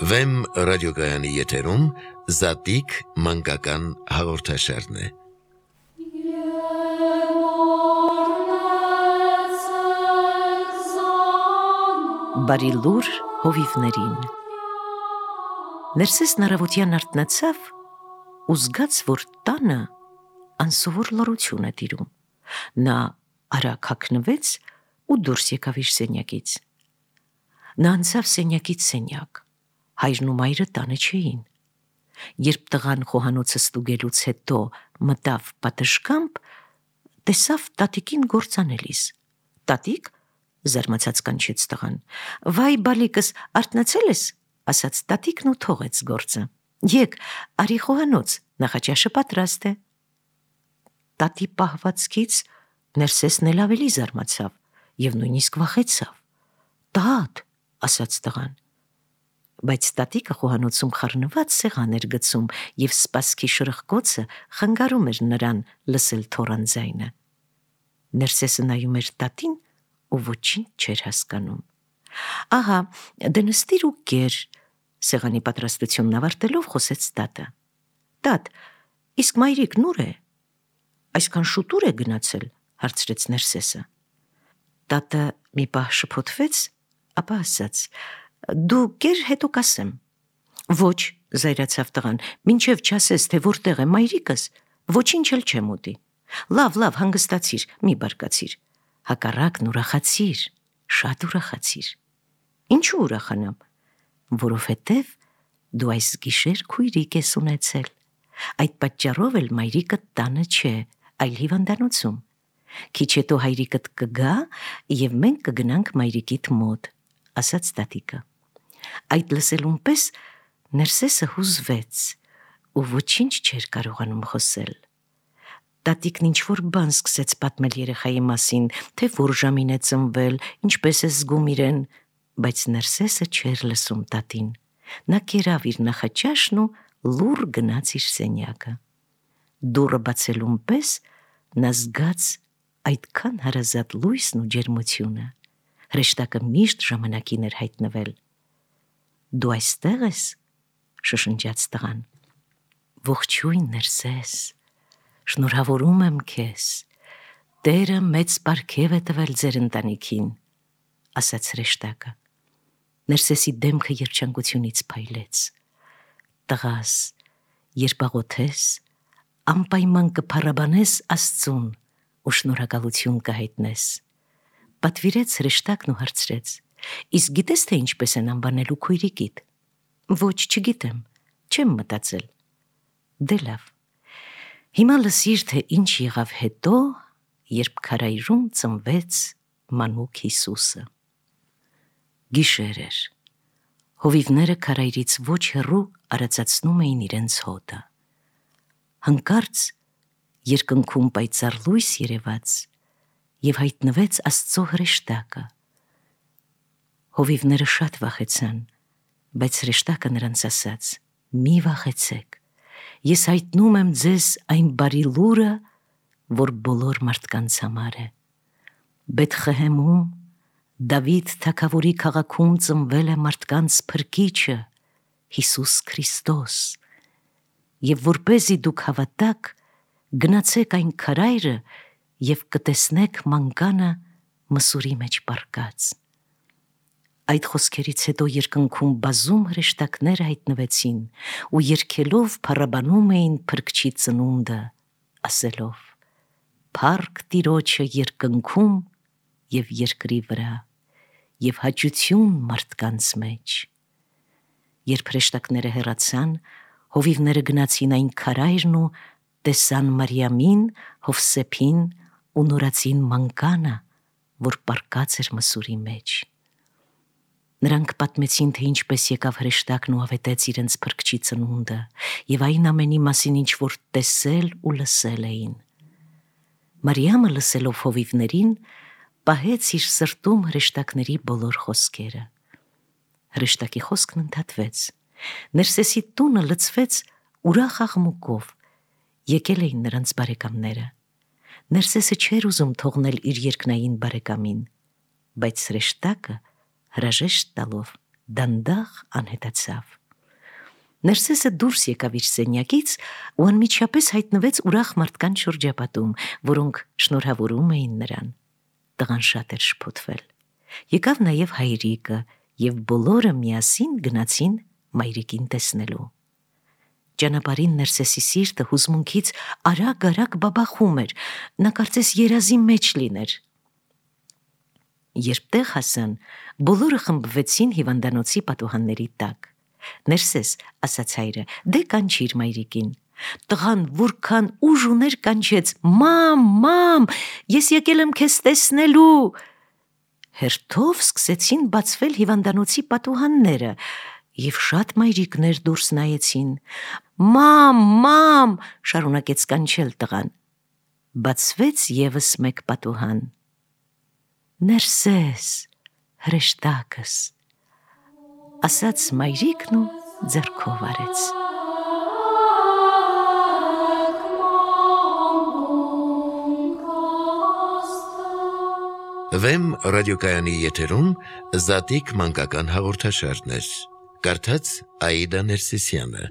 Վեմ ռադիոգայանի եթերում Զատիկ մանկական հաղորդաշարն է։ Բարի լուր հովիվներին։ Ներսեսն առավոտյան արթնացավ ու զգաց, որ տանը անսովոր լռություն է տիրում։ Նա արագ հագնվեց ու դուրս եկավ իր սենյակից։ Նա անցավ սենյակից սենյակ։ Հայրն ու մայրը տանը չէին։ Երբ տղան խոհանոցը ստուգելուց հետո մտավ պատշգամբ, տեսավ տատիկին գործանելիս։ Տատիկ, զարմացած կանչեց տղան։ Վայ բալիկս, արթնացել ես, ասաց տատիկն ու թողեց գործը։ Եկ, արի խոհանոց, նախաճաշը պատրաստ է։ Տատի պահվածքից Ներսեսն էլ ավելի զարմացավ եւ նույնիսկ վախեցավ։ Տատ, ասաց տղան։ Բայց տատիկը խոհանոցում խառնված սեղան էր գցում եւ սպասքի շրխկոցը խանգարում էր նրան լսել թոռան ձայնը։ Ներսեսը նայում էր տատին ու ոչինչ չէր հասկանում։ Ահա, դե նստիր ու կեր, սեղանի պատրաստությունն ավարտելով խոսեց տատը։ Տատ, իսկ մայրիկն ուր է։ Այսքան շուտ ուր է գնացել, հարցրեց Ներսեսը։ Տատը մի պահ շփոթվեց, ապա ասաց. Դու կեր, հետո կասեմ։ Ոչ, զայրացավ տղան, մինչև չասես, թե որտեղ է մայրիկս, ոչինչ էլ չեմ ուտի։ Լավ, հանգստացիր, մի բարկացիր։ Հակառակն ուրախացիր, շատ ուրախացիր։ Ինչու ուրախանամ։ Որովհետև դու այս գիշեր քույրիկ ես ունեցել։ Այդ պատճառով էլ մայրիկդ տանը չէ, այլ հիվանդանոցում։ Քիչ հետո հայրիկդ կգա եւ մենք կգնանք մայրիկիդ մոտ, ասաց տատիկը։ Այդ լսելուն պես Ներսեսը հուզվեց ու ոչինչ չէր կարողանում խոսել։ Տատիկն ինչ-որ բան սկսեց պատմել երեխայի մասին, թե որ ժամին է ծնվել, ինչպես է զգում իրեն, բայց Ներսեսը չէր լսում տատին։ Նա կերավ իր նախաճաշն ու լուռ գնաց իր սենյակը։ Դուռը բացելուն պես նա զգաց այդքան հարազատ լույսն ու ջերմությունը։ Հրեշտակը միշտ ժամանակին էր հայտնվել։ Դու այստեղ ես, շշնջաց տղան։ Ողջույն Ներսես, շնորհավորում եմ քեզ, Տերը մեծ պարգև է տվել ձեր ընտանիքին, ասաց հրեշտակը։ Ներսեսի դեմքը երջանկությունից փայլեց։ Տղաս, երբ աղոթես, անպայման կփառաբանես Աստծուն ու շնորհակալություն կհայտնես։ Պատվիրեց հրեշտակն ու հարցրեց. Իսկ գիտես, թե ինչպես են անվանելու քույրիկիդ։ Ոչ, չգիտեմ, չեմ մտածել։ Դե լավ։ Հիմա լսիր, թե ինչ եղավ հետո, երբ քարայրում ծնվեց մանուկ Հիսուսը։ Գիշեր էր։ Հովիվները քարայրից ոչ հեռու արածացնում էին իրենց հոտը։ Հանկարծ երկնքում պայծառ լույս երևաց եւ հայտնվեց Աստծո հրեշտակը։ Հովիվները շատ վախեցան, բայց հրեշտակը նրանց ասաց. Մի վախեցեք, ես հայտնում եմ ձեզ այն բարի լուրը, որ բոլոր մարդկանց համար է։ Բեթխեհեմում, Դավիթ թագավորի քաղաքում ծնվել է մարդկանց փրկիչը, Հիսուս Քրիստոս։ Եվ որպեսզի դուք հավատաք, գնացեք այն քարայրը եւ կտեսնեք մանկանը մսուրի մեջ պառկած։ Այդ խոսքերից հետո երկնքում բազում հրեշտակներ հայտնվեցին ու երգելով փառաբանում էին Փրկչի ծնունդը, ասելով. Փառք Տիրոջը երկնքում եւ երկրի վրա, եւ հաճություն մարդկանց մեջ։ Երբ հրեշտակները հեռացան, հովիվները գնացին այն քարայրն ու տեսան Մարիամին, Հովսեփին ու նորածին մանկանը, որ պառկած էր մսուրի մեջ։ Նրանք պատմեցին, թե ինչպես եկավ հրեշտակն ու ավետեց իրենց Փրկչի ծնունդը եւ այն ամենի մասին, ինչ որ տեսել ու լսել էին։ Մարիամը լսելով հովիվներին, պահեց իր սրտում հրեշտակների բոլոր խոսքերը։ Հրեշտակի խոսքն ընդհատվեց։ Ներսեսի տունը լցվեց ուրախ աղմուկով։ Եկել էին նրանց բարեկամները։ Ներսեսը չէր ուզում թողնել իր երկնային բարեկամին, բայց հրեշտակը հրաժեշտ տալով դանդաղ անհետացավ։ Ներսեսը դուրս եկավ իր սենյակից ու անմիջապես հայտնվեց ուրախ մարդկանց շրջապատում, որոնք շնորհավորում էին նրան։ Տղան շատ էր շփոթվել։ Եկավ նաև հայրիկը, եւ բոլորը միասին գնացին մայրիկին տեսնելու։ Ճանապարհին Ներսեսի սիրտը հուզմունքից արագ-արագ բաբախում էր, նա կարծես երազի մեջ լիներ։ Երբ տեղ հասան, բոլորը խմբվեցին հիվանդանոցի պատուհանների տակ։ Ներսես, ասաց հայրը, դե կանչիր մայրիկին։ Տղան որքան ուժ ուներ կանչեց. «Մամ, մամ, ես եկել եմ քեզ տեսնելու»։ Հերթով սկսեցին բացվել հիվանդանոցի պատուհանները, եւ շատ մայրիկներ դուրս նայեցին։ «Մամ, մամ», շարունակեց կանչել տղան։ Բացվեց եւս մեկ պատուհան։ «Ներսես, հրեշտակս», ասաց մայրիկն ու ձեռքով արեց։ Վեմ ռադիոկայանի եթերում Զատիկ մանկական հաղորդաշարներ։ Կարդաց Աիդա Ներսիսյանը։